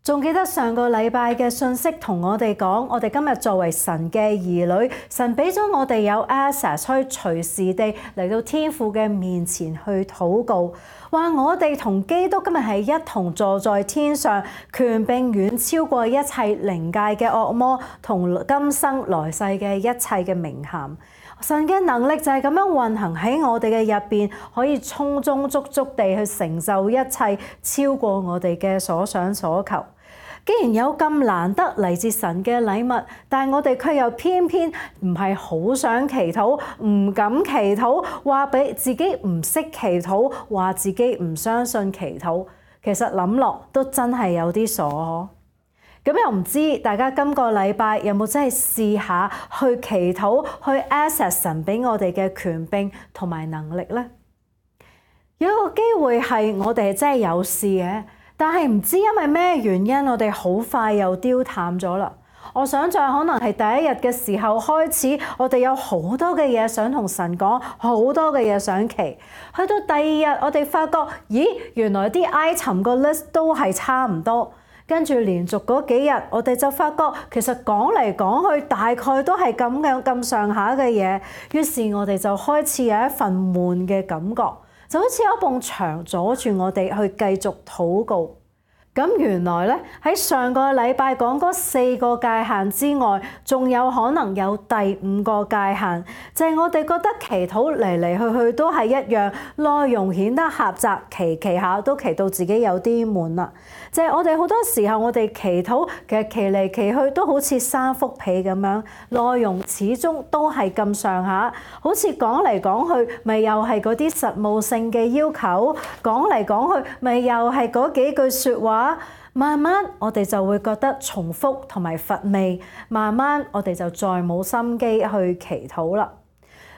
仲記得上個禮拜嘅信息同我哋講，我哋今日作為神嘅兒女，神俾咗我哋有 access 可以隨時地嚟到天父嘅面前去禱告，話我哋同基督今日係一同坐在天上，權柄遠超過一切靈界嘅惡魔同今生來世嘅一切嘅名銜。神嘅能力就係咁樣運行喺我哋嘅入邊，可以充充足足地去成就一切，超過我哋嘅所想所求。既然有咁難得嚟自神嘅禮物，但係我哋卻又偏偏唔係好想祈禱，唔敢祈禱，話俾自己唔識祈禱，話自己唔相信祈禱。其實諗落都真係有啲傻呵。咁又唔知大家今個禮拜有冇真係試下去祈禱，去 access 神俾我哋嘅權柄同埋能力呢？有一個機會係我哋真係有事嘅，但係唔知因為咩原因，我哋好快又丟淡咗啦。我想象可能係第一日嘅時候開始，我哋有好多嘅嘢想同神講，好多嘅嘢想祈。去到第二日，我哋發覺，咦，原來啲 item 個 list 都係差唔多。跟住連續嗰幾日，我哋就發覺其實講嚟講去大概都係咁樣咁上下嘅嘢，於是我哋就開始有一份悶嘅感覺，就好似有一埲牆阻住我哋去繼續禱告。咁原來咧，喺上個禮拜講嗰4個界限之外，仲有可能有第5個界限，就係我哋覺得祈禱嚟嚟去去都係一樣，內容顯得狹窄，祈下都祈到自己有啲悶啦。就係我哋好多時候，我哋祈禱其實祈嚟祈去都好似三幅被咁樣，內容始終都係咁上下，好似講嚟講去，咪又係嗰啲實務性嘅要求，講嚟講去，咪又係嗰幾句説話。慢慢我哋就會覺得重複同埋乏味，慢慢我哋就再冇心機去祈禱啦。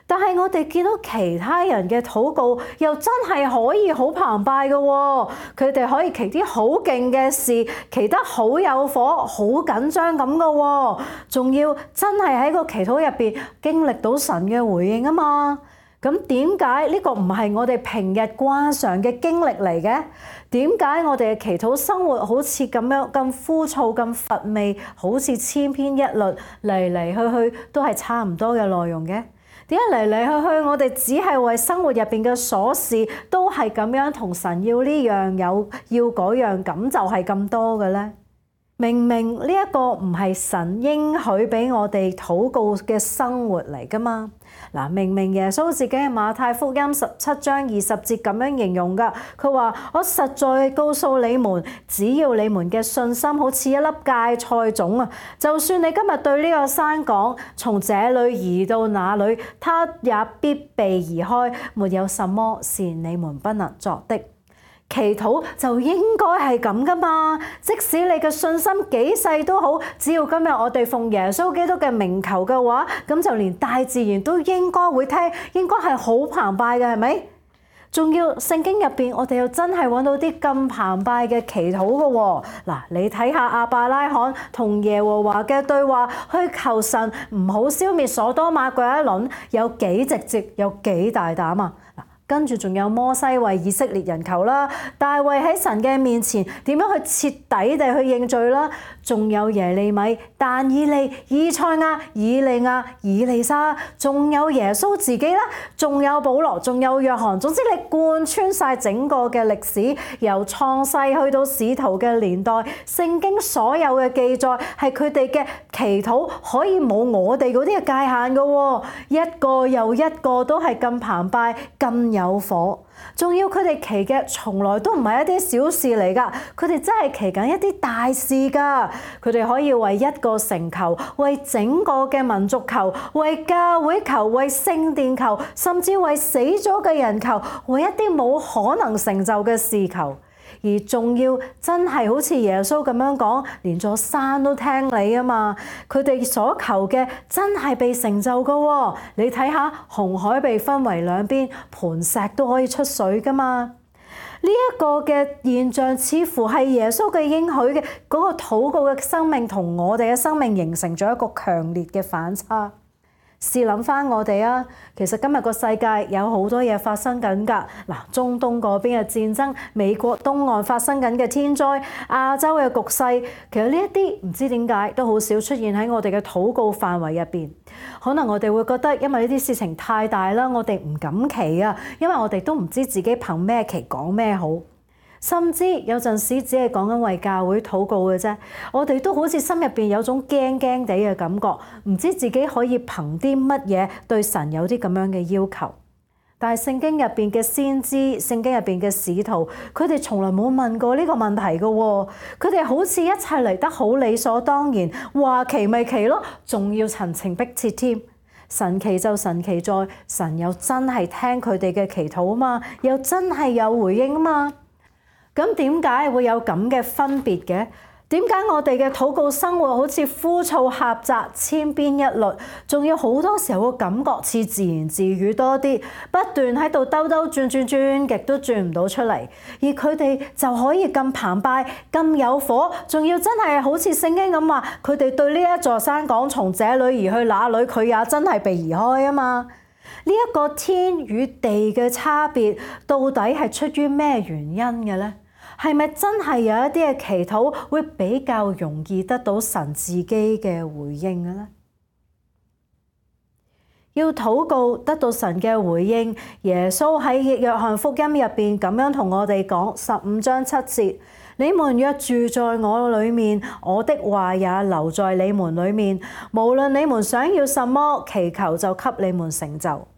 但係我哋見到其他人嘅禱告又真係可以好澎湃嘅喎，佢哋可以祈啲好勁嘅事，祈得好有火、好緊張咁嘅喎，仲要真係喺個祈禱入邊經歷到神嘅回應啊嘛。咁點解呢個唔係我哋平日慣常嘅經歷嚟嘅？點解我哋嘅祈禱生活好似咁樣咁枯燥、咁乏味，好似千篇一律，嚟嚟去去都係差唔多嘅內容嘅？點解嚟嚟去去我哋只係為生活入邊嘅瑣事都係咁樣同神要呢樣有，要嗰樣，咁就係咁多嘅咧？明明呢一個唔係神應許俾我哋禱告嘅生活嚟噶嘛？嗱，明明耶穌自己喺馬太福音17章20節咁樣形容噶，佢話：我實在告訴你們，只要你們嘅信心好似一粒芥菜種啊，就算你今日對呢個山講，從這裏移到那裏，它也必被移開，沒有什麼是你們不能作的。祈禱就應該係咁噶嘛，即使你嘅信心幾細都好，只要今日我哋奉耶穌基督嘅名求嘅話，咁就連大自然都應該會聽，應該係好澎湃嘅，係咪？仲要聖經入邊，我哋又真係揾到啲咁澎湃嘅祈禱嘅喎。嗱，你睇下亞伯拉罕同耶和華嘅對話，去求神唔好消滅所多瑪嗰一輪，有幾直接，有幾大膽啊！跟住仲有摩西為以色列人求啦，大衛喺神嘅面前點樣去徹底地去認罪啦，仲有耶利米、但以利、以賽亞、以利亞、以利沙，仲有耶穌自己啦，仲有保羅，仲有約翰，總之你貫穿晒整個嘅歷史，由創世去到使徒嘅年代，聖經所有嘅記載係佢哋嘅祈禱可以冇我哋嗰啲嘅界限嘅喎，一個又一個都係咁澎湃，咁有火，仲要佢哋祈嘅從來都唔係一啲小事嚟㗎，佢哋真係祈緊一啲大事㗎。佢哋可以為一個城求，為整個嘅民族求，為教會求，為聖殿求，甚至為死咗嘅人求，為一啲冇可能成就嘅事求。而仲要真係好似耶穌咁樣講，連座山都聽你啊嘛！佢哋所求嘅真係被成就噶喎。你睇下紅海被分為兩邊，磐石都可以出水噶嘛！呢一個嘅現象似乎係耶穌嘅應許嘅嗰個禱告嘅生命同我哋嘅生命形成咗一個強烈嘅反差。試諗翻我哋啊，其實今日個世界有好多嘢發生緊㗎。嗱，中東嗰邊嘅戰爭，美國東岸發生緊嘅天災，亞洲嘅局勢，其實呢一啲唔知點解都好少出現喺我哋嘅禱告範圍入邊。可能我哋會覺得，因為呢啲事情太大啦，我哋唔敢祈啊，因為我哋都唔知自己憑咩祈講咩好。甚至有陣時只係講緊為教會禱告嘅啫，我哋都好似心入邊有種驚驚地嘅感覺，唔知自己可以憑啲乜嘢對神有啲咁樣嘅要求。但係聖經入邊嘅先知、聖經入邊嘅使徒，佢哋從來冇問過呢個問題嘅喎，佢哋好似一切嚟得好理所當然，話祈咪祈咯，仲要陳情逼切添。神奇就神奇在，神又真係聽佢哋嘅祈禱啊嘛，又真係有回應啊嘛。咁點解會有咁嘅分別嘅？點解我哋嘅禱告生活好似枯燥狹窄、千篇一律，仲要好多時候個感覺似自言自語多啲，不斷喺度兜兜轉轉轉極都轉唔到出嚟，而佢哋就可以咁澎湃、咁有火，仲要真係好似聖經咁話，佢哋對呢一座山講從這裏移去那裏，佢也真係被移開啊嘛！呢一個天與地嘅差別，到底係出於咩原因嘅呢？係咪真係有一啲嘅祈禱會比較容易得到神自己嘅回應嘅呢？要禱告得到神嘅回應，耶穌喺約翰福音入邊咁樣同我哋講，15章7節：你們若住在我裏面，我的話也留在你們裏面，無論你們想要什麼，祈求就給你們成就。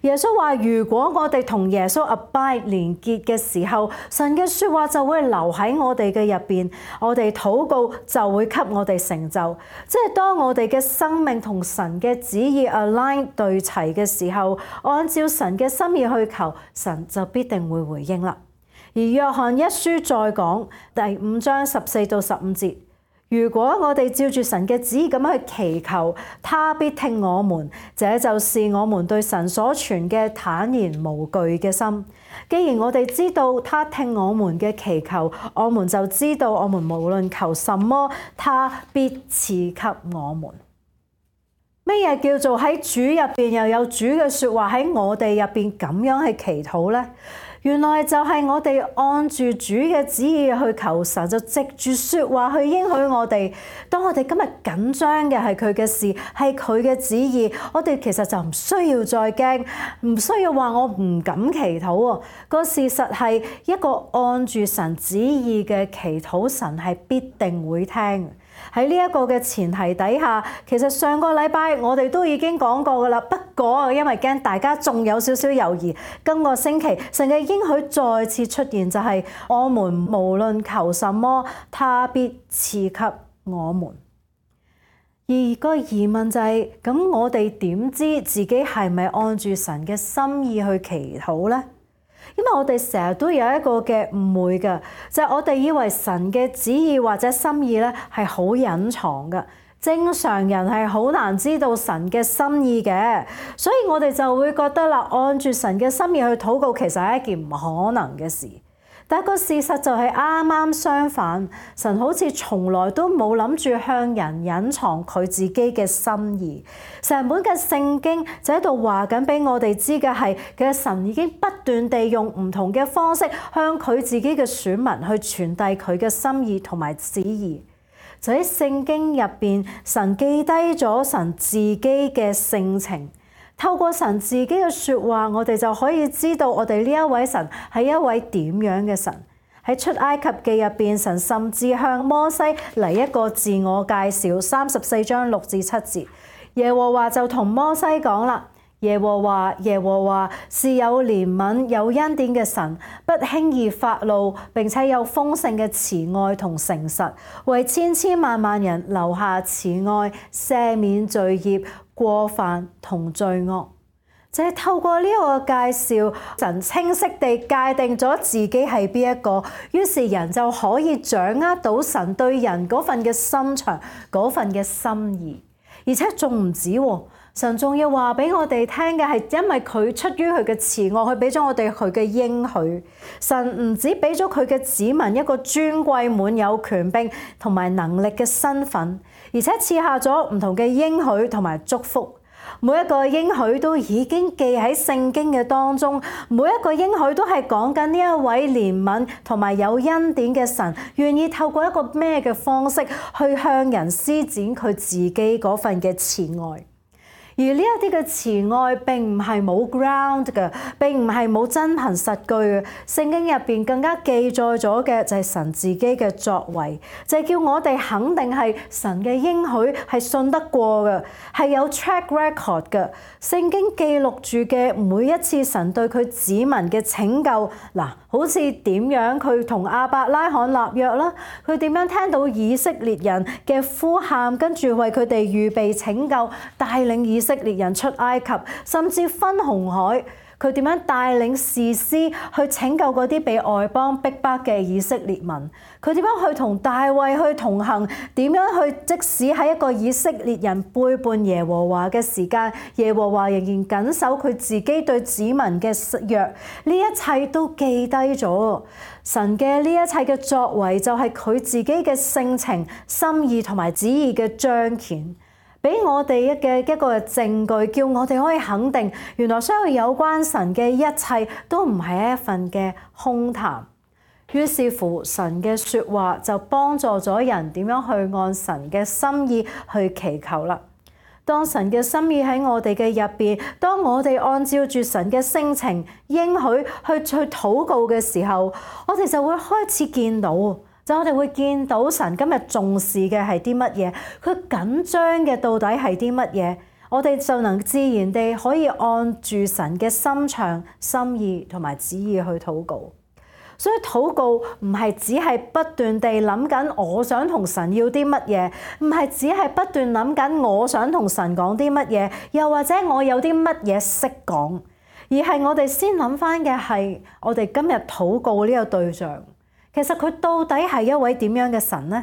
耶穌話：如果我哋同耶穌 abide 連結嘅時候，神嘅説話就會留喺我哋嘅入邊，我哋禱告就會給我哋成就。即係當我哋嘅生命同神嘅旨意 align 對齊嘅時候，按照神嘅心意去求，神就必定會回應啦。而約翰一書再講第5章14到15節。如果我哋照住神嘅旨意咁樣去祈求，他必聽我們，這就是我們對神所存嘅坦然無懼嘅心。既然我哋知道他聽我們嘅祈求，我們就知道我們無論求什麼，他必賜給我們。咩嘢叫做喺主入邊又有主嘅說話喺我哋入邊咁樣去祈禱呢？原來就係我哋按住主嘅旨意去求神，就藉住說話去應許我哋。當我哋今日緊張嘅係佢嘅事，係佢嘅旨意，我哋其實就唔需要再驚，唔需要話我唔敢祈禱喎。個事實係一個按住神旨意嘅祈禱，神係必定會聽。喺呢一個嘅前提底下，其實上個禮拜我哋都已經講過噶啦。不過因為驚大家仲有少少猶豫，今個星期神嘅應許再次出現，就係我們無論求什麼，他必賜給我們。而個疑問就係，咁我哋點知自己係咪按住神嘅心意去祈禱呢？因為我哋成日都有一個嘅誤會嘅，就係我哋以為神嘅旨意或者心意咧係好隱藏嘅，正常人係好難知道神嘅心意嘅，所以我哋就會覺得啦，按住神嘅心意去禱告，其實係一件唔可能嘅事。但個事實就係啱啱相反，神好似從來都冇諗住向人隱藏佢自己嘅心意。成本嘅聖經就喺度話緊俾我哋知嘅係，其實神已經不斷地用唔同嘅方式向佢自己嘅選民去傳遞佢嘅心意同埋旨意。就喺聖經入邊，神記低咗神自己嘅性情。透過神自己嘅說話，我哋就可以知道我哋呢一位神係一位點樣嘅神。喺出埃及記入邊，神甚至向摩西嚟一個自我介紹，34章6至7節，耶和華就同摩西講啦：耶和華是有憐憫有恩典嘅神，不輕易發怒，並且有豐盛嘅慈愛同誠實，為千千萬萬人留下慈愛，赦免罪孽、過犯同罪惡。就係透過呢個介紹，神清晰地界定咗自己係邊一個，於是人就可以掌握到神對人嗰份嘅心腸、嗰份嘅心意。而且仲唔止喎，神仲要話俾我哋聽嘅係，因為佢出於佢嘅慈愛，佢俾咗我哋佢嘅應許。神唔止俾咗佢嘅子民一個尊貴、滿有權柄同埋能力嘅身份，而且賜下咗唔同嘅應許同埋祝福。每一個應許都已經記喺聖經嘅當中，每一個應許都係講緊呢一位憐憫同埋有恩典嘅神，願意透過一個咩嘅方式去向人施展佢自己嗰份嘅慈愛。而呢一啲嘅慈愛並唔係冇 ground 嘅，並唔係冇真憑實據嘅。聖經入邊更加記載咗嘅就係神自己嘅作為，就係叫我哋肯定係神嘅應許係信得過嘅，係有 track record 嘅。聖經記錄住嘅每一次神對佢子民嘅拯救，嗱，好似點樣佢同亞伯拉罕立約啦，佢點樣聽到以色列人嘅呼喊，跟住為佢哋預備拯救，帶領以色列人出埃及，甚至分紅海，佢點樣帶領士師去拯救嗰啲被外邦逼迫嘅以色列民，佢點樣去同大衛去同行，點樣去即使喺一個以色列人背叛耶和華嘅時間，耶和華仍然緊守佢自己對子民嘅約，呢一切都記低咗。神嘅呢一切嘅作為就係佢自己嘅性情、心意同埋旨意嘅彰顯，俾我哋嘅一個證據，叫我哋可以肯定，原來所有有關神嘅一切都唔係一份嘅空談。於是乎，神嘅說話就幫助咗人點樣去按神嘅心意去祈求啦。當神嘅心意喺我哋嘅入邊，當我哋按照住神嘅性情應許去禱告嘅時候，我哋就會開始見到。就我哋會見到神今日重視嘅係啲乜嘢，佢緊張嘅到底係啲乜嘢，我哋就能自然地可以按住神嘅心腸、心意同埋旨意去禱告。所以禱告唔係只係不斷地諗緊我想同神要啲乜嘢，唔係只係不斷諗緊我想同神講啲乜嘢，又或者我有啲乜嘢識講，而係我哋先諗翻嘅係我哋今日禱告呢個對象。其實佢到底係一位點樣嘅神呢？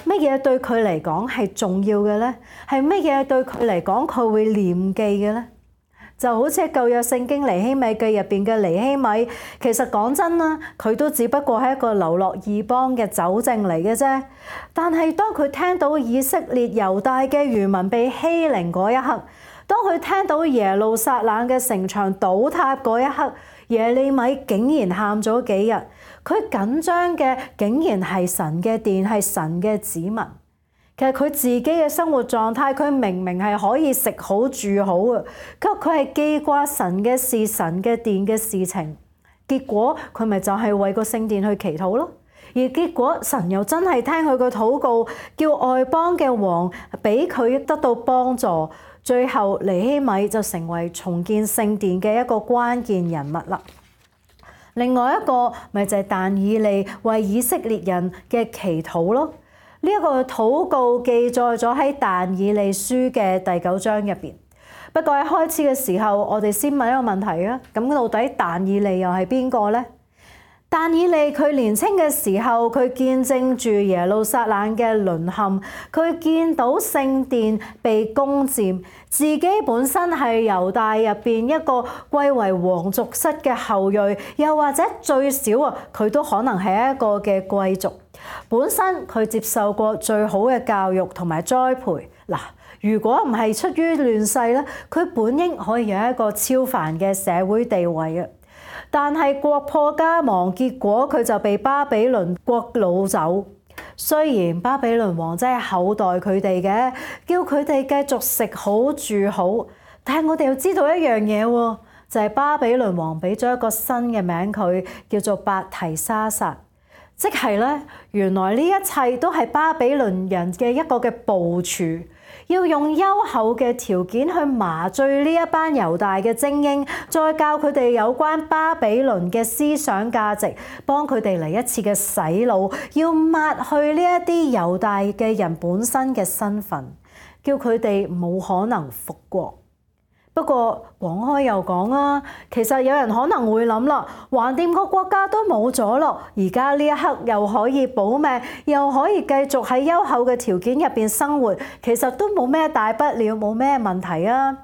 乜嘢對佢嚟講係重要嘅呢？係乜嘢對佢嚟講佢會念記嘅呢？就好似舊約聖經尼希米記入邊嘅尼希米，其實講真啦，佢都只不過係一個流落異邦嘅酒政嚟嘅啫。但係當佢聽到以色列猶大嘅餘民被欺凌嗰一刻，當佢聽到耶路撒冷嘅城牆倒塌嗰一刻，耶利米竟然喊咗幾日。佢緊張嘅竟然係神嘅殿，係神嘅子民。其實佢自己嘅生活狀態，佢明明係可以食好住好啊，佢係記掛神嘅事、神嘅殿嘅事情。結果佢咪就係為個聖殿去祈禱咯。而結果神又真係聽佢個禱告，叫外邦嘅王俾佢得到幫助。最後尼希米就成為重建聖殿嘅一個關鍵人物啦。另外一個咪就係但以利為以色列人嘅祈禱咯。呢一個禱告記載咗喺但以利書嘅第9章入邊。不過喺開始嘅時候，我哋先問一個問題啊。咁到底但以利又係邊個呢？但以利佢年青嘅時候，佢見證住耶路撒冷嘅淪陷，佢見到聖殿被攻佔，自己本身係猶大入邊一個貴為皇族室嘅後裔，又或者最少啊，佢都可能係一個嘅貴族。本身佢接受過最好嘅教育同埋栽培。嗱，如果唔係出於亂世咧，佢本應可以有一個超凡嘅社會地位嘅。但係國破家亡，結果佢就被巴比倫國擄走。雖然巴比倫王真係厚待佢哋嘅，叫佢哋繼續食好住好，但係我哋要知道一樣嘢喎，就係巴比倫王俾咗一個新嘅名佢，叫做伯提沙撒。即係咧，原來呢一切都係巴比倫人嘅一個嘅部署，要用優厚嘅條件去麻醉呢一班猶大嘅精英，再教佢哋有關巴比倫嘅思想價值，幫佢哋嚟一次嘅洗腦，要抹去呢一啲猶大嘅人本身嘅身份，叫佢哋冇可能復國。不過講開又講啊，其實有人可能會諗啦，橫掂個國家都冇咗咯，而家呢一刻又可以保命，又可以繼續喺優厚嘅條件入邊生活，其實都冇咩大不了，冇咩問題啊。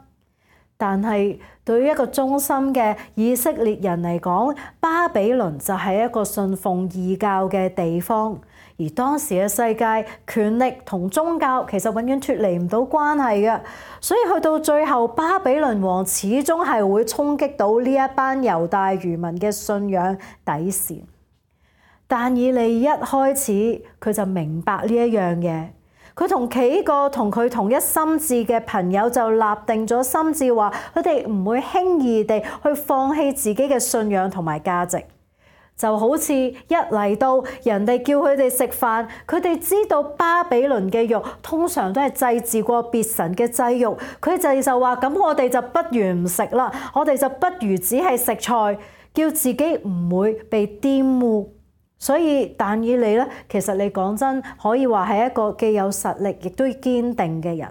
但係對於一個忠心嘅以色列人嚟講，巴比倫就係一個信奉異教嘅地方，而當時嘅世界，權力同宗教其實永遠脫離唔到關係嘅，所以去到最後，巴比倫王始終係會衝擊到呢一班猶大餘民嘅信仰底線。但以理一開始佢就明白呢一樣嘢，佢同幾個同佢同一心志嘅朋友就立定咗心志，話佢哋唔會輕易地去放棄自己嘅信仰同埋價值。就好似一嚟到人哋叫佢哋食飯，佢哋知道巴比倫嘅肉通常都係祭祀過別神嘅祭肉，佢哋就話咁我哋就不如唔食啦，我哋就不如只係食菜，叫自己唔會被玷污。所以但以理咧，其實你講真可以話係一個既有實力亦都堅定嘅人。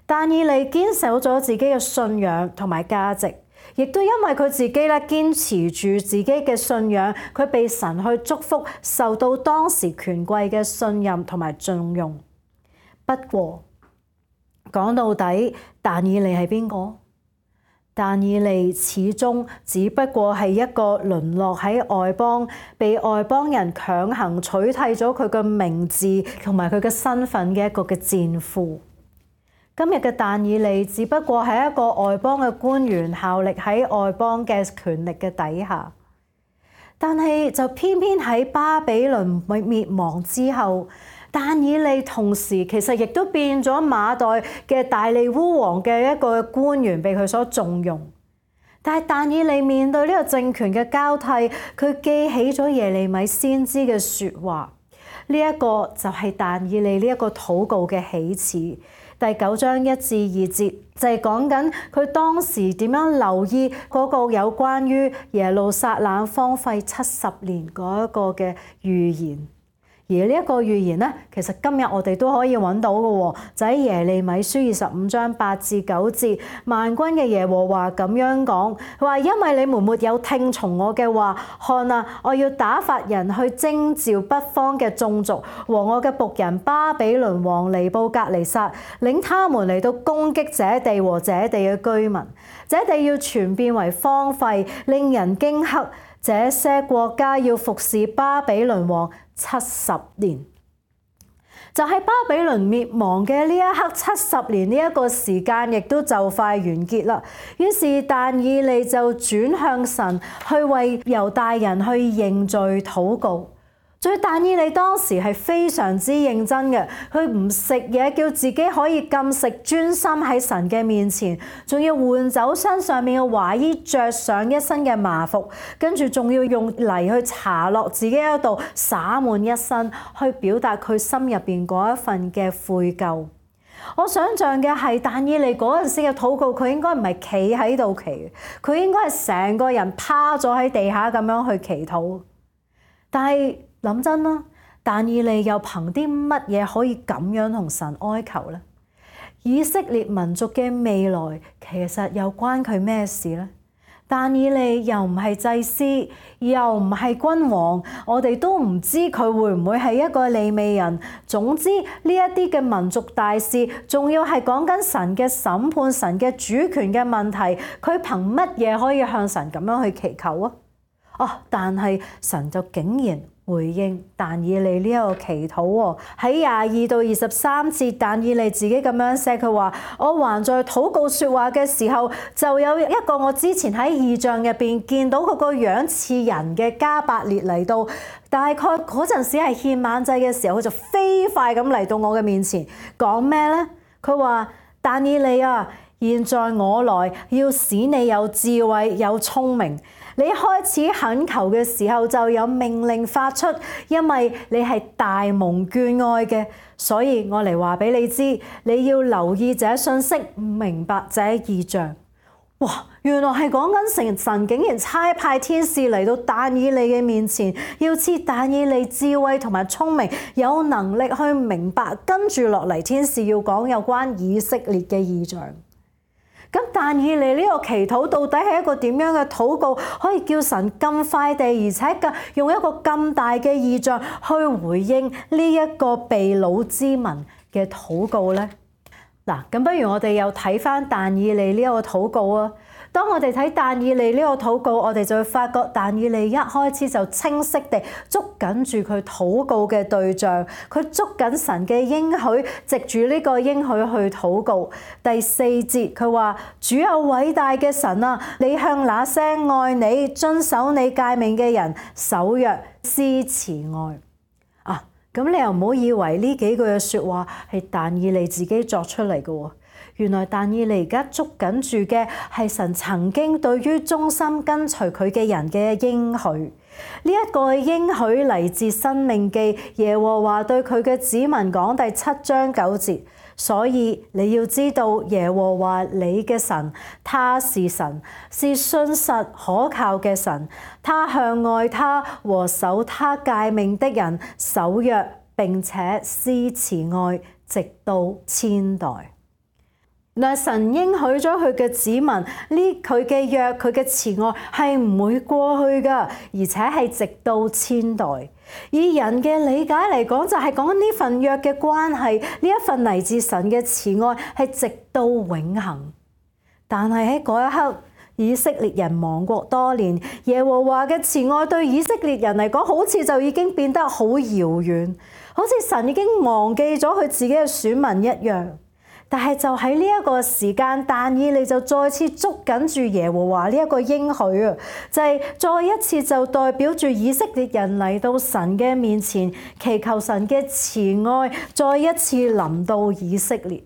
但以理堅守咗自己嘅信仰同埋價值。亦都因為佢自己咧堅持住自己嘅信仰，佢被神去祝福，受到當時權貴嘅信任同埋重用。不過講到底，但以理係邊個？但以理始終只不過係一個淪落喺外邦，被外邦人強行取締咗佢嘅名字同埋佢嘅身份嘅一個嘅戰俘。今日嘅但以理只不過係一個外邦嘅官員，效力喺外邦嘅權力嘅底下，但係就偏偏喺巴比倫滅亡之後，但以理同時其實亦都變咗馬代嘅大利烏王嘅一個官員，被佢所重用。但係但以理面對呢個政權嘅交替，佢記起咗耶利米先知嘅說話，呢一個就係但以理呢一個禱告嘅起始。第9章1至2節就係講緊佢當時點樣留意嗰個有關於耶路撒冷荒廢70年嗰一個嘅預言。而呢一個預言咧，其實今日我哋都可以揾到嘅，就喺耶利米書25章8至9節，萬軍嘅耶和華咁樣講，佢話因為你們沒有聽從我嘅話，看啊，我要打發人去徵召北方嘅眾族和我嘅僕人巴比倫王尼布甲尼撒，領他們嚟到攻擊這地和這地嘅居民，這地要全變為荒廢，令人驚嚇。這些國家要服侍巴比倫王70年，就喺巴比倫滅亡嘅呢一刻，70年呢一個時間亦都就快完結啦。於是但以理就轉向神，去為猶大人去認罪禱告。所以但以理當時係非常之認真嘅，佢唔食嘢，叫自己可以禁食，專心喺神嘅面前，仲要換走身上面嘅華衣，着上一身嘅麻服，跟住仲要用泥去搽落自己嗰度，灑滿一身，去表達佢心入邊嗰一份嘅悔疚。我想象嘅係但以理嗰陣時嘅禱告，佢應該唔係企喺度祈，佢應該係成個人趴咗喺地下咁樣去祈禱。但係諗真啦，但以理又憑啲乜嘢可以咁樣同神哀求呢？以色列民族嘅未來其實又關佢咩事呢？但以理又唔係祭司，又唔係君王，我哋都唔知佢會唔會係一個利未人。總之呢一啲嘅民族大事，仲要係講緊神嘅審判、神嘅主權嘅問題，佢憑乜嘢可以向神咁樣去祈求啊？但係神就竟然回應但以理呢一個祈禱喎。喺22到23節，但以理自己咁樣寫，佢話：我還在禱告說話嘅時候，就有一個我之前喺異象入邊見到佢個樣似人嘅加百列嚟到，大概嗰陣時係獻晚祭嘅時候，佢就飛快咁嚟到我嘅面前，講咩呢？佢話：但以理啊，現在我來要使你有智慧有聰明。你開始懇求嘅時候就有命令發出，因為你係大蒙眷愛嘅，所以我嚟話俾你知，你要留意這信息，明白這異象。哇！原來係講緊神竟然差派天使嚟到但以理嘅面前，要賜但以理智慧同埋聰明，有能力去明白跟住落嚟天使要講有關以色列嘅異象。咁但以理呢個祈禱到底係一個點樣嘅禱告，可以叫神咁快地，而且用一個咁大嘅異象去回應呢一個被擄之民嘅禱告呢？嗱，咁不如我哋又睇翻但以理呢一個禱告啊。當我哋睇但以理呢個禱告，我哋就會發覺但以理一開始就清晰地捉緊住佢禱告嘅對象，佢捉緊神嘅應許，藉住呢個應許去禱告。第4節佢話：主有偉大嘅神啊，你向那些愛你、遵守你誡命嘅人守約施慈愛。咁你又唔好以為呢幾句嘅說話係但以理自己作出嚟嘅喎。原來但以理而家捉緊住嘅係神曾經對於忠心跟隨佢嘅人嘅應許。呢一個應許嚟自申命記，耶和華對佢嘅子民講第7章9節。所以你要知道耶和華你嘅神，他是神，是信實可靠嘅神。他向愛他和守他誡命的人守約，並且施慈愛，直到千代。嗱，神應許咗佢嘅子民，佢嘅約，佢嘅慈愛係唔會過去㗎，而且係直到千代。以人嘅理解嚟講，就係講呢份約嘅關係，呢一份嚟自神嘅慈愛係直到永恆。但係喺嗰一刻，以色列人亡國多年，耶和華嘅慈愛對以色列人嚟講，好似就已經變得好遙遠，好似神已經忘記咗佢自己嘅選民一樣。但係就喺呢一個時間，但以理就再次捉緊住耶和華呢一個應許啊，就係再一次就代表住以色列人嚟到神嘅面前，祈求神嘅慈愛再一次臨到以色列。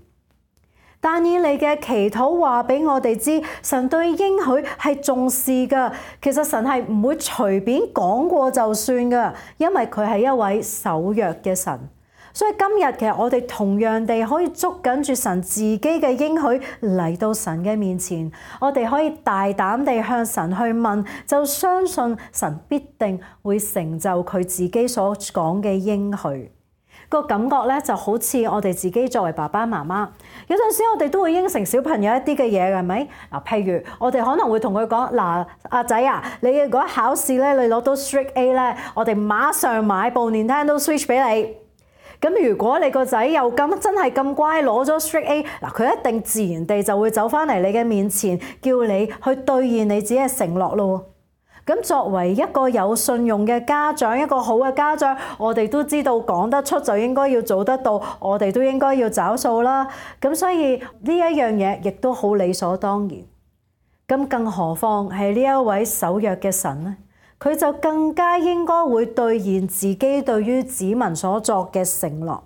但以理嘅祈禱話俾我哋知，神對應許係重視㗎。其實神係唔會隨便講過就算㗎，因為佢係一位守約嘅神。所以今日其實我哋同樣地可以捉緊住神自己嘅應許嚟到神嘅面前，我哋可以大膽地向神去問，就相信神必定會成就佢自己所講嘅應許。個感覺咧就好似我哋自己作為爸爸媽媽，有陣時我哋都會應承小朋友一啲嘅嘢嘅，係咪？嗱，譬如我哋可能會同佢講：嗱，阿仔啊，你如果考試咧，你攞到 Strict A 咧，我哋馬上買部 Nintendo Switch 俾你。咁如果你個仔又真係咁乖，攞咗 Strict A， 嗱，佢一定自然地就會走翻嚟你嘅面前，叫你去兌現你自己嘅承諾咯。咁作為一個有信用嘅家長，一個好嘅家長，我哋都知道講得出就應該要做得到，我哋都應該要找數啦。咁所以呢一樣嘢亦都好理所當然。咁更何況係呢一位守約嘅神呢？佢就更加應該會兌現自己對於子民所作嘅承諾。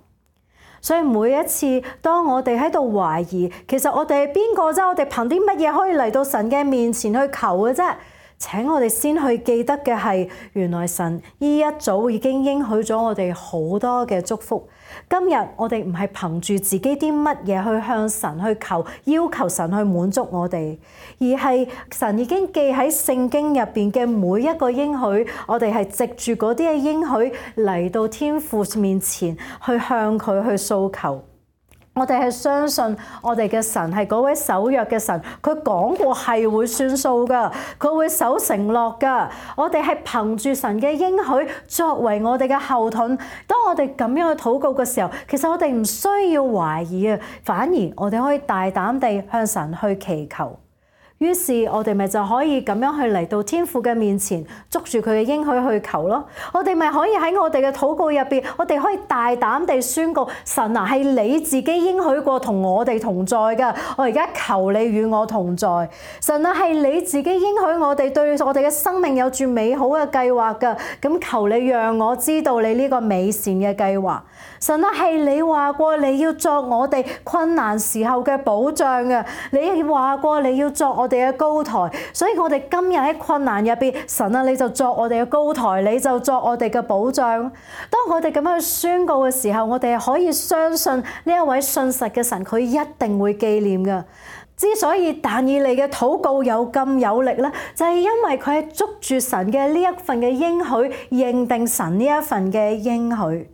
所以每一次當我哋喺度懷疑，其實我哋係邊個啫？我哋憑啲乜嘢可以嚟到神嘅面前去求嘅啫？請我哋先去記得嘅係，原來神一早已經應許咗我哋好多嘅祝福。今日我哋唔係憑住自己啲乜嘢去向神去求，要求神去滿足我哋，而係神已經記喺聖經入邊嘅每一個應許，我哋係藉住嗰啲嘅應許嚟到天父面前去向佢去訴求。我哋係相信我哋嘅神係嗰位守約嘅神，佢講過係會算數㗎，佢會守承諾㗎。我哋係憑住神嘅應許作為我哋嘅後盾。當我哋咁樣去禱告嘅時候，其實我哋唔需要懷疑啊，反而我哋可以大膽地向神去祈求。於是我哋咪就可以咁樣去嚟到天父嘅面前，捉住佢嘅應許去求咯。我哋咪可以喺我哋嘅禱告入邊，我哋可以大膽地宣告：神啊，係你自己應許過同我哋同在㗎。我而家求你與我同在。神啊，係你自己應許我哋對我哋嘅生命有住美好嘅計劃㗎。咁求你讓我知道你呢個美善嘅計劃。神啊，係你話過你要作我哋困難時候嘅保障嘅。你話過你要作我哋嘅高台，所以我哋今日喺困難入邊，神啊，你就作我哋嘅高台，你就作我哋嘅保障。當我哋咁樣去宣告嘅時候，我哋可以相信呢一位信實嘅神，佢一定會紀念㗎。之所以但以理嘅禱告有咁有力咧，就係因為佢係捉住神嘅呢一份嘅應許，認定神呢一份嘅應許。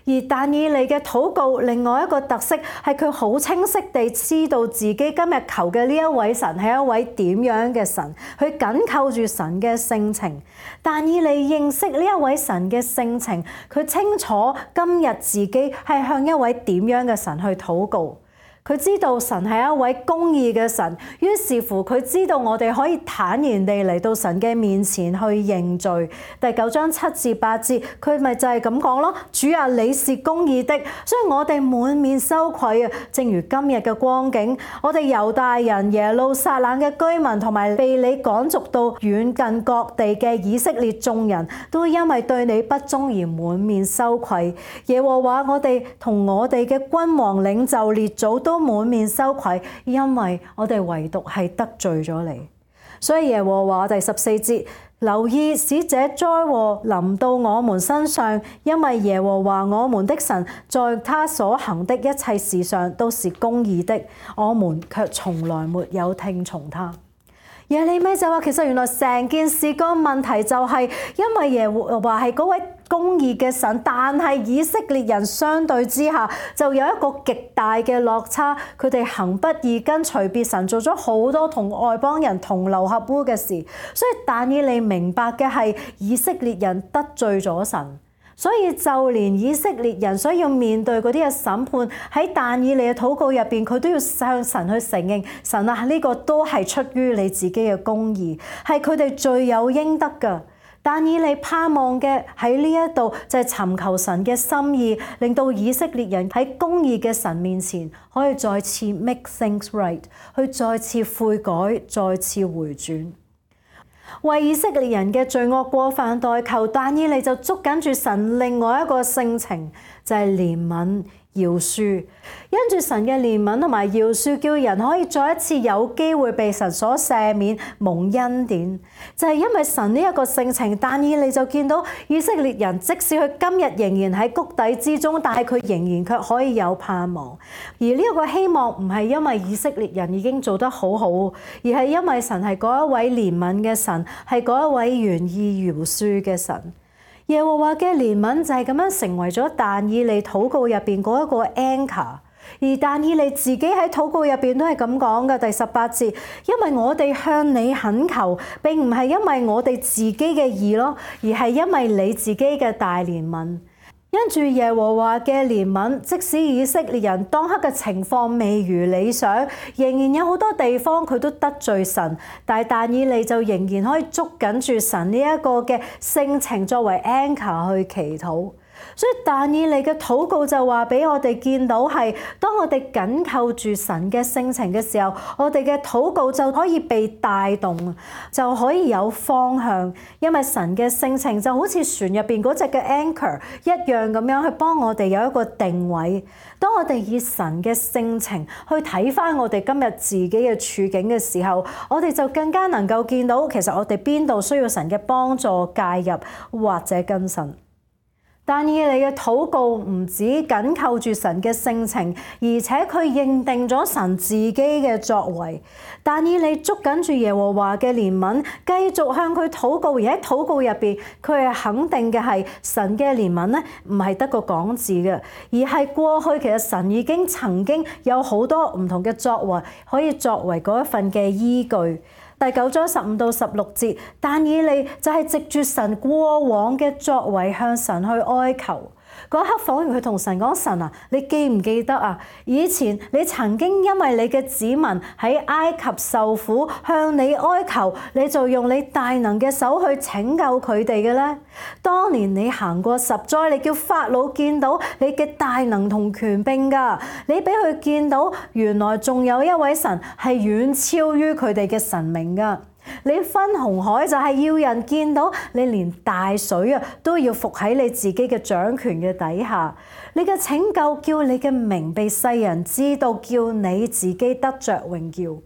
而但以理嘅禱告另外一個特色係佢好清晰地知道自己今日求嘅呢一位神係一位點樣嘅神，佢緊扣住神嘅性情。但以理認識呢一位神嘅性情，佢清楚今日自己係向一位點樣嘅神去禱告。佢知道神係一位公義嘅神，於是乎佢知道我哋可以坦然地嚟到神嘅面前去認罪。第9章7至8節，佢咪就係咁講咯。主啊，你是公義的，所以我哋滿面羞愧啊！正如今日嘅光景，我哋猶大人、耶路撒冷嘅居民同埋被你趕逐到遠近各地嘅以色列眾人都因為對你不忠而滿面羞愧。耶和華，我哋同我哋嘅君王、領袖、列祖都滿面羞愧，因為我哋唯獨係得罪咗你。所以耶和華第14節，留意使這災禍臨到我們身上，因為耶和華我們的神在他所行的一切事上都是公義的，我們卻從來沒有聽從他。耶利米就話，其實原來成件事個問題就係因為耶和華係嗰位公義嘅神，但係以色列人相對之下就有一個極大嘅落差，佢哋行不義，跟隨別神，做咗好多同外邦人同流合污嘅事。所以但以理明白嘅係以色列人得罪咗神。所以就連以色列人所要面對嗰啲嘅審判，喺但以理嘅禱告入邊，佢都要向神去承認，神啊，呢個都係出於你自己嘅公義，係佢哋罪有應得㗎。但以理盼望嘅喺呢一度就係尋求神嘅心意，令到以色列人喺公義嘅神面前可以再次 make things right， 去再次悔改，再次回轉。為以色列人嘅罪惡過犯代求，但以理就捉緊住神另外一個性情，就係憐憫饒恕。因住神嘅憐憫同埋饒恕，叫人可以再一次有機會被神所赦免蒙恩典。就係因為神呢一個性情，但以理就見到以色列人即使佢今日仍然喺谷底之中，但係佢仍然卻可以有盼望。而呢一個希望唔係因為以色列人已經做得好好，而係因為神係嗰一位憐憫嘅神，係嗰一位願意饒恕嘅神。耶和華嘅憐憫就係咁樣成為咗但以理禱告入邊嗰一個 anchor， 而但以理自己喺禱告入邊都係咁講嘅。第18節，因為我哋向你懇求，並唔係因為我哋自己嘅義咯，而係因為你自己嘅大憐憫。因住耶和華嘅憐憫，即使以色列人當刻嘅情況未如理想，仍然有好多地方佢都得罪神，但以理就仍然可以捉緊住神呢一個嘅性情作為 anchor 去祈禱。所以但以理嘅禱告就話俾我哋見到係，當我哋緊扣住神嘅性情嘅時候，我哋嘅禱告就可以被帶動，就可以有方向。因為神嘅性情就好似船入邊嗰隻嘅 anchor 一樣咁樣去幫我哋有一個定位。當我哋以神嘅性情去睇返我哋今日自己嘅處境嘅時候，我哋就更加能夠見到其實我哋邊度需要神嘅幫助介入或者更新。但以理嘅禱告唔止緊扣住神嘅性情，而且佢認定咗神自己嘅作為。但以理捉緊住耶和華嘅憐憫，繼續向佢禱告，而喺禱告入邊，佢係肯定嘅係神嘅憐憫咧，唔係得個講字嘅，而係過去其實神已經曾經有好多唔同嘅作為，可以作為嗰一份嘅依據。第9章15到16節，但以理就係藉住神過往嘅作為向神去哀求。嗰一刻仿如佢同神講：神啊，你記唔記得啊？以前你曾經因為你嘅子民喺埃及受苦，向你哀求，你就用你大能嘅手去拯救佢哋嘅咧。當年你行過10災，你叫法老見到你嘅大能同權柄㗎，你俾佢見到原來仲有一位神係遠超於佢哋嘅神明㗎。你分紅海就係要人見到你連大水啊都要服喺你自己嘅掌權嘅底下，你嘅拯救叫你嘅名被世人知道，叫你自己得着榮耀。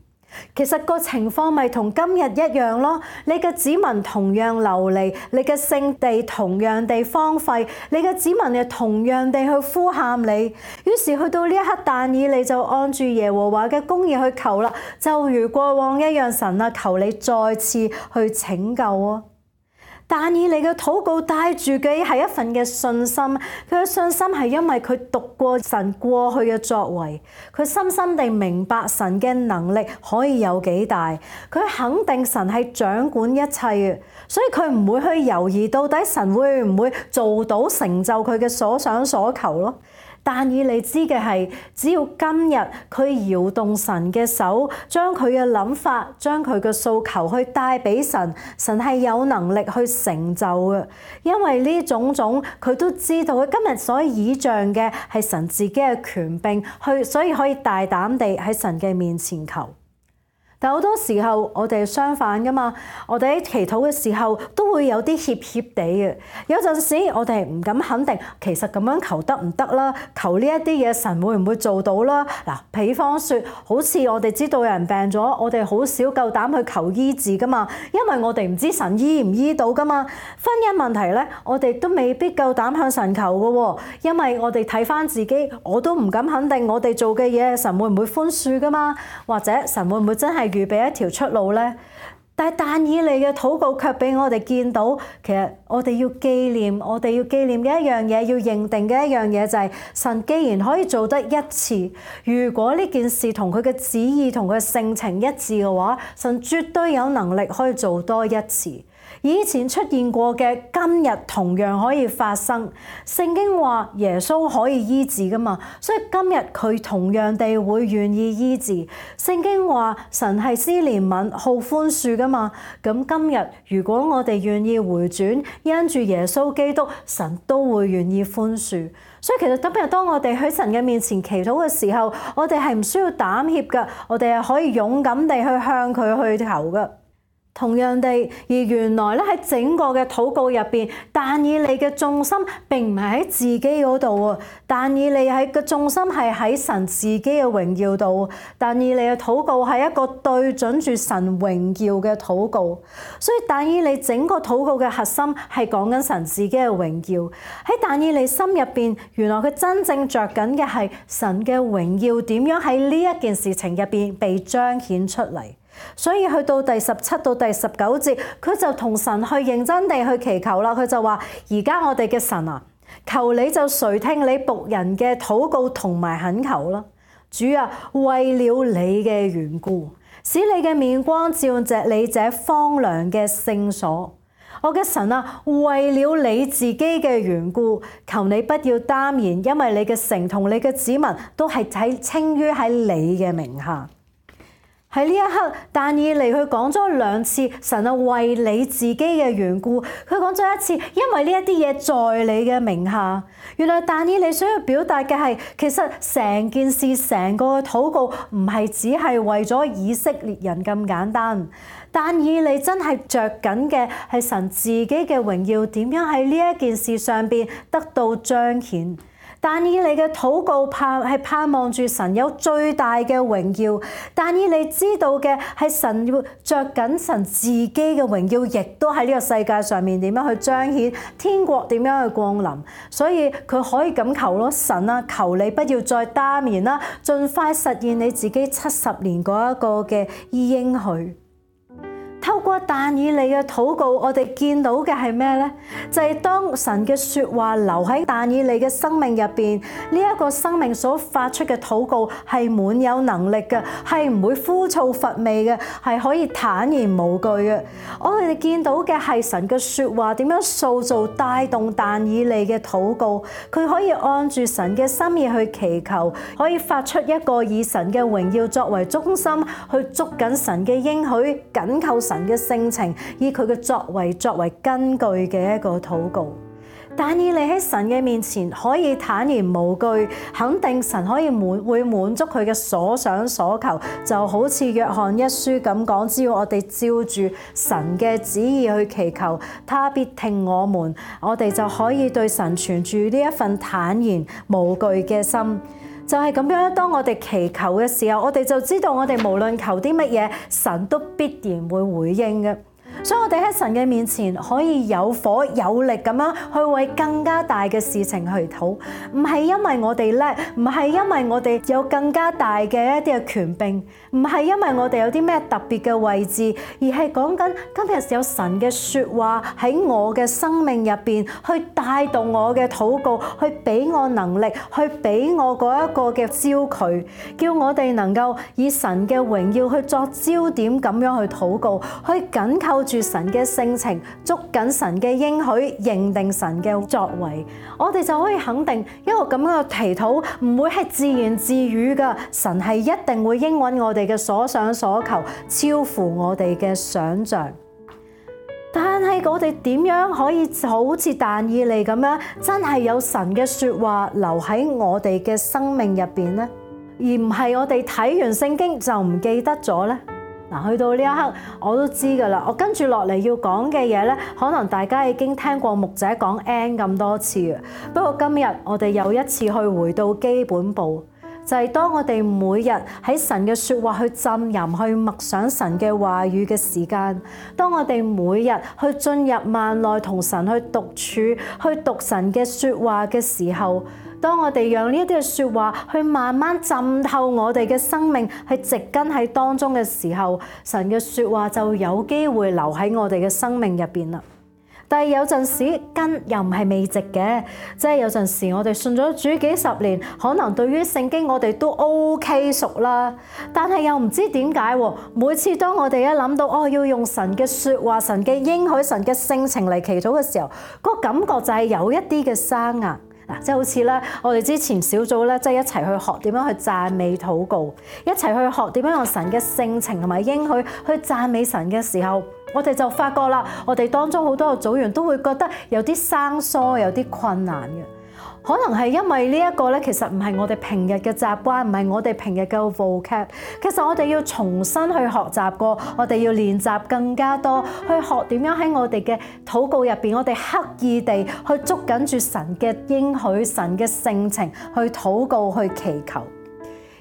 其實個情況咪同今日一樣咯，你嘅子民同樣流離，你嘅聖地同樣地荒廢，你嘅子民又同樣地去呼喊你。於是去到呢一刻，但以理就按住耶和華嘅公義去求啦，就如過往一樣，神啊，求你再次去拯救啊！但以理嘅禱告帶住嘅係一份嘅信心，佢嘅信心係因為佢讀過神過去嘅作為，佢深深地明白神嘅能力可以有幾大，佢肯定神係掌管一切嘅，所以佢唔會去猶豫到底神會唔會做到成就佢嘅所想所求咯。但以理知嘅係，只要今日佢搖動神嘅手，將佢嘅諗法、將佢嘅訴求去帶俾神，神係有能力去成就嘅。因為呢種種佢都知道，佢今日所倚仗嘅係神自己嘅權柄，所以可以大膽地喺神嘅面前求。但好多時候我哋相反噶嘛，我哋喺祈禱嘅時候都會有啲怯怯地嘅。有陣時我哋唔敢肯定，其實咁樣求得唔得啦？求呢一啲嘢神會唔會做到啦？嗱，比方說，好似我哋知道有人病咗，我哋好少夠膽去求醫治噶嘛，因為我哋唔知神醫唔醫到噶嘛。婚姻問題咧，我哋都未必夠膽向神求噶喎，因為我哋睇翻自己，我都唔敢肯定我哋做嘅嘢神會唔會寬恕噶嘛，或者神會唔會真係預備一條出路呢？但以理嘅禱告卻俾我哋見到，其實我哋要紀念嘅一樣嘢，要認定嘅一樣嘢就係神既然可以做得一次，如果呢件事同佢嘅旨意同佢嘅性情一致嘅話，神絕對有能力可以做多一次。以前出現過嘅，今日同樣可以發生。聖經話耶穌可以醫治噶嘛，所以今日佢同樣地會願意醫治。聖經話神係施憐憫、好寬恕噶嘛，咁今日如果我哋願意回轉，因住耶穌基督，神都會願意寬恕。所以其實今日當我哋喺神嘅面前祈禱嘅時候，我哋係唔需要膽怯噶，我哋係可以勇敢地去向佢去求噶。同樣地，而原來咧喺整個嘅禱告入邊，但以理嘅重心並唔係喺自己嗰度喎，但以理嘅重心係喺神自己嘅榮耀度。但以理嘅禱告係一個對準住神榮耀嘅禱告，所以但以理整個禱告嘅核心係講緊神自己嘅榮耀。喺但以理心入邊，原來佢真正着緊嘅係神嘅榮耀點樣喺呢一件事情入邊被彰顯出嚟。所以去到第17到第19節，佢就同神去認真地去祈求啦。佢就話：而家我哋嘅神啊，求你就垂聽你僕人嘅禱告同埋懇求啦。主啊，為了你嘅緣故，使你嘅面光照着你這荒涼嘅聖所。我嘅神啊，為了你自己嘅緣故，求你不要耽延，因為你嘅城同你嘅子民都係稱於喺你嘅名下。喺呢一刻，但以理佢講咗2次，神啊，為你自己嘅緣故，佢講咗一次，因為呢一啲嘢在你嘅名下。原來但以理想要表達嘅係，其實成件事成個禱告唔係只係為咗以色列人咁簡單。但以理真係着緊嘅係神自己嘅榮耀點樣喺呢一件事上邊得到彰顯。但以理嘅禱告係盼望住神有最大嘅榮耀。但以理知道嘅係神要着緊神自己嘅榮耀，亦都喺呢個世界上面點樣去彰顯天國點樣去降臨。所以佢可以咁求咯，神啊，求你不要再耽延啦，盡快實現你自己70年嗰一個嘅應許。透過但以理嘅禱告，我哋見到嘅係咩呢？就係當神嘅說話留喺但以理嘅生命入邊，呢一個生命所發出嘅禱告係滿有能力嘅，係唔會枯燥乏味嘅，係可以坦然無懼嘅。我哋見到嘅係神嘅說話點樣塑造帶動但以理嘅禱告，佢可以按住神嘅心意去祈求，可以發出一個以神嘅榮耀作為中心，去捉緊神嘅應許，緊扣神嘅性情，以佢嘅作為根據嘅一個禱告。但以理喺神嘅面前可以坦然無懼，肯定神可以會滿足佢嘅所想所求，就好似約翰一書咁講，只要我哋照住神嘅旨意去祈求，他必聽我們，我哋就可以對神存住呢一份坦然無懼嘅心。就係咁樣，當我哋祈求嘅時候，我哋就知道我哋無論求啲乜嘢，神都必然會回應嘅。所以我哋喺神嘅面前可以有火有力咁樣去為更加大嘅事情去禱，唔係因為我哋叻，唔係因為我哋有更加大嘅一啲嘅權柄，唔係因為我哋有啲咩特別嘅位置，而係講緊今日有神嘅說話喺我嘅生命入邊去帶動我嘅禱告，去俾我能力，去俾我嗰一個嘅焦距，叫我哋能夠以神嘅榮耀去作焦點咁樣去禱告，去緊扣住住神嘅性情，捉緊神嘅應許，認定神嘅作為，我哋就可以肯定一個咁樣嘅祈禱唔會係自言自語㗎，神係一定會應允我哋嘅所想所求，超乎我哋嘅想像。但係我哋點樣可以好似但以理咁樣，真係有神嘅説話留喺我哋嘅生命入邊呢？而唔係我哋睇完聖經就唔記得咗呢？嗱，去到呢一刻我都知㗎啦。我跟住落嚟要講嘅嘢呢，可能大家已經聽過牧者講 N 咁多次啊。不過今日我哋又一次去回到基本步，就係當我哋每日喺神嘅説話去浸淫、去默想神嘅話語嘅時間，當我哋每日去進入幔內同神去獨處、去讀神嘅説話嘅時候，當我哋讓呢一啲嘅説話去慢慢浸透我哋嘅生命，係植根喺當中嘅時候，神嘅説話就有機會留喺我哋嘅生命入邊啦。但係有陣時根又唔係未植嘅，即係有陣時我哋信咗主幾十年，可能對於聖經我哋都 OK 熟啦，但係又唔知點解喎。每次當我哋一諗到要用神嘅説話、神嘅應許、神嘅性情嚟祈禱嘅時候，個感覺就係有一啲嘅生硬。嗱，即係好似咧，我哋之前小組咧，即係一齊去學點樣去讚美禱告，一齊去學點樣用神嘅性情同埋應許去讚美神嘅時候，我哋就發覺啦，我哋當中好多嘅組員都會覺得有啲生疏，有啲困難嘅。可能係因為呢一個咧，其實唔係我哋平日嘅習慣，唔係我哋平日嘅 vocab。其實我哋要重新去學習過，我哋要練習更加多，去學點樣喺我哋嘅禱告入邊，我哋刻意地去捉緊住神嘅應許、神嘅性情去禱告、去祈求。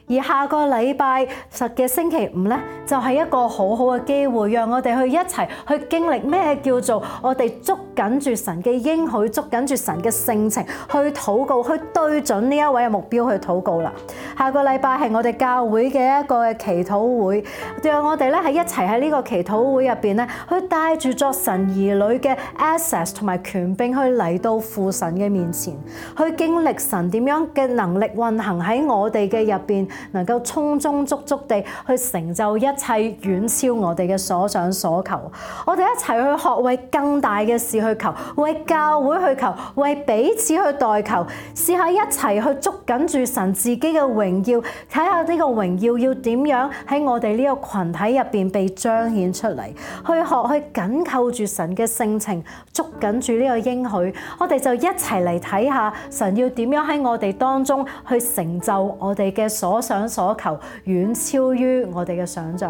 而下個禮拜嘅星期五咧，就係一個好好嘅機會，讓我哋去一齊去經歷咩叫做我哋捉緊住神嘅應許，捉緊住神嘅性情去禱告，去對準呢一位嘅目標去禱告啦。下個禮拜係我哋教會嘅一個嘅祈禱會，讓我哋咧喺一齊喺呢個祈禱會入邊咧，去帶住作神兒女嘅 access 同埋權柄去嚟到父神嘅面前，去經歷神點樣嘅能力運行喺我哋嘅入邊，能夠充充足足地去成就一切，遠超我哋嘅所想所求。我哋一齊去學為更大嘅事去求，為教會去求，為彼此去代求，試下一齊去捉緊住神自己嘅榮耀，睇下呢個榮耀要點樣喺我哋呢個群體入邊被彰顯出嚟，去學去緊扣住神嘅性情，捉緊住呢個應許。我哋就一齊嚟睇下神要點樣喺我哋當中去成就我哋嘅所想所求，遠超於我哋嘅想象。